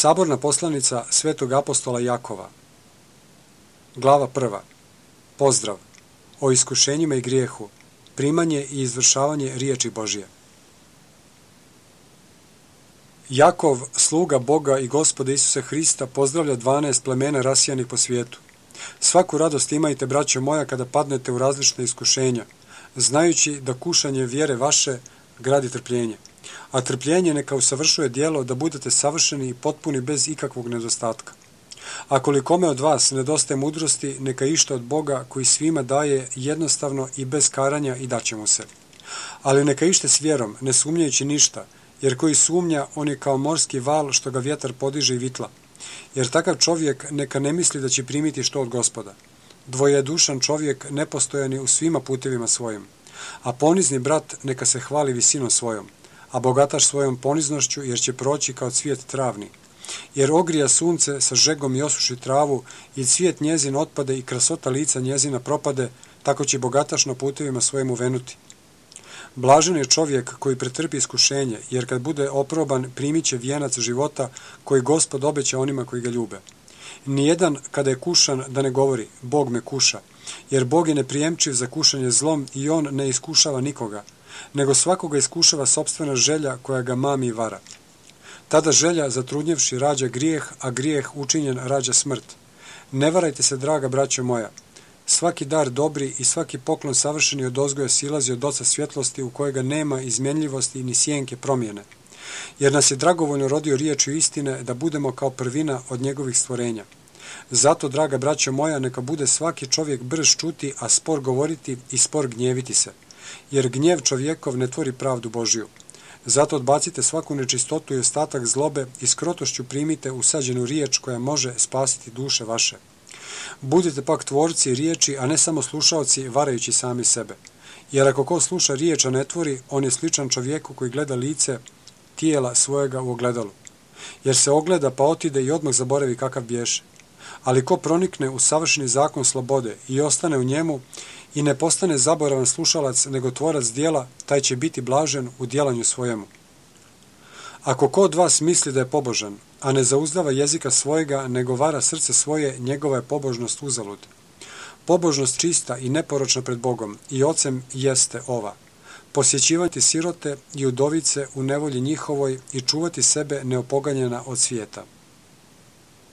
Saborna poslanica svetog apostola Jakova. Glava 1. Pozdrav. O iskušenjima i grijehu. Primanje i izvršavanje riječi Božje. Jakov, sluga Boga i Gospoda Isusa Hrista, pozdravlja 12 plemena rasijanih po svijetu. Svaku radost imajte, braćo moja, kada padnete u različite iskušenja, znajući da kušanje vjere vaše gradi trpljenje. A trpljenje neka usavršuje djelo, da budete savršeni i potpuni bez ikakvog nedostatka. Ako li kome od vas nedostaje mudrosti, neka išta od Boga koji svima daje jednostavno i bez karanja i daće mu se. Ali neka ište s vjerom, ne sumnjajući ništa, jer koji sumnja, on je kao morski val što ga vjetar podiže i vitla. Jer takav čovjek neka ne misli da će primiti što od Gospoda. Dvojedušan čovjek nepostojan je u svima putevima svojim. A ponizni brat neka se hvali visinom svojom, a bogataš svojom poniznošću, jer će proći kao cvijet travni. Jer ogrija sunce sa žegom i osuši travu, i cvijet njezin otpade i krasota lica njezina propade, tako će bogataš na putevima svojim uvenuti. Blažen je čovjek koji pretrpi iskušenje, jer kad bude oproban primit će vijenac života koji Gospod obeća onima koji ga ljube. Nijedan kada je kušan da ne govori, Bog me kuša, jer Bog je neprijemčiv za kušanje zlom i on ne iskušava nikoga, nego svakoga iskušava sopstvena želja koja ga mami i vara. Tada želja, zatrudnjevši, rađa grijeh, a grijeh učinjen rađa smrt. Ne varajte se, draga braćo moja. Svaki dar dobri i svaki poklon savršeni od ozgoja silazi od Oca svjetlosti, u kojega nema izmjenljivosti ni sjenke promjene. Jer nas je dragovoljno rodio riječju istine, da budemo kao prvina od njegovih stvorenja. Zato, draga braćo moja, neka bude svaki čovjek brž čuti, a spor govoriti i spor gnjeviti se. Jer gnjev čovjekov ne tvori pravdu Božju. Zato odbacite svaku nečistotu i ostatak zlobe i s krotošću primite usađenu riječ koja može spasiti duše vaše. Budite pak tvorci riječi, a ne samo slušaoci, varajući sami sebe. Jer ako ko sluša riječ, a ne tvori, on je sličan čovjeku koji gleda lice tijela svojega u ogledalu. Jer se ogleda pa otide i odmah zaboravi kakav biješe. Ali ko pronikne u savršeni zakon slobode i ostane u njemu i ne postane zaboravan slušalac, nego tvorac djela, taj će biti blažen u djelanju svojemu. Ako ko od vas misli da je pobožan, a ne zauzdava jezika svojega, nego vara srce svoje, njegova je pobožnost uzalud. Pobožnost čista i neporočna pred Bogom i Ocem jeste ova: posjećivati sirote i udovice u nevolji njihovoj i čuvati sebe neopoganjena od svijeta.